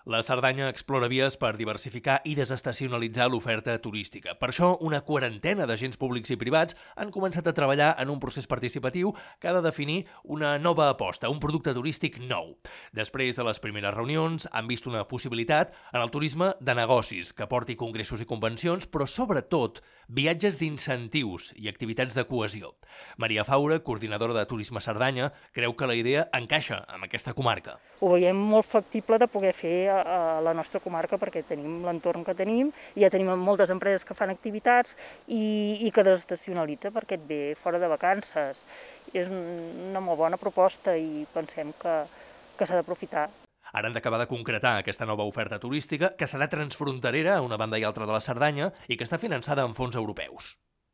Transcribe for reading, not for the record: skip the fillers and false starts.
La Cerdanya explora vies per diversificar i desestacionalitzar l'oferta turística. Per això, una quarantena d'agents públics i privats han començat a treballar en un procés participatiu que ha de definir una nova aposta, un producte turístic nou. Després de les primeres reunions, han vist una possibilitat en el turisme de negocis, que porti congressos i convencions, però sobretot viatges d'incentius i activitats de cohesió. Maria Faura, coordinadora de Turisme Cerdanya, creu que la idea encaixa amb aquesta comarca. Ho veiem molt factible de poder fer a la nostra comarca perquè tenim l'entorn que tenim, ja tenim moltes empreses que fan activitats i que desestacionalitza perquè et ve fora de vacances. És una molt bona proposta i pensem que s'ha d'aprofitar. Ara han d'acabar de concretar aquesta nova oferta turística que serà transfronterera a una banda i altra de la Cerdanya i que està finançada amb fons europeus.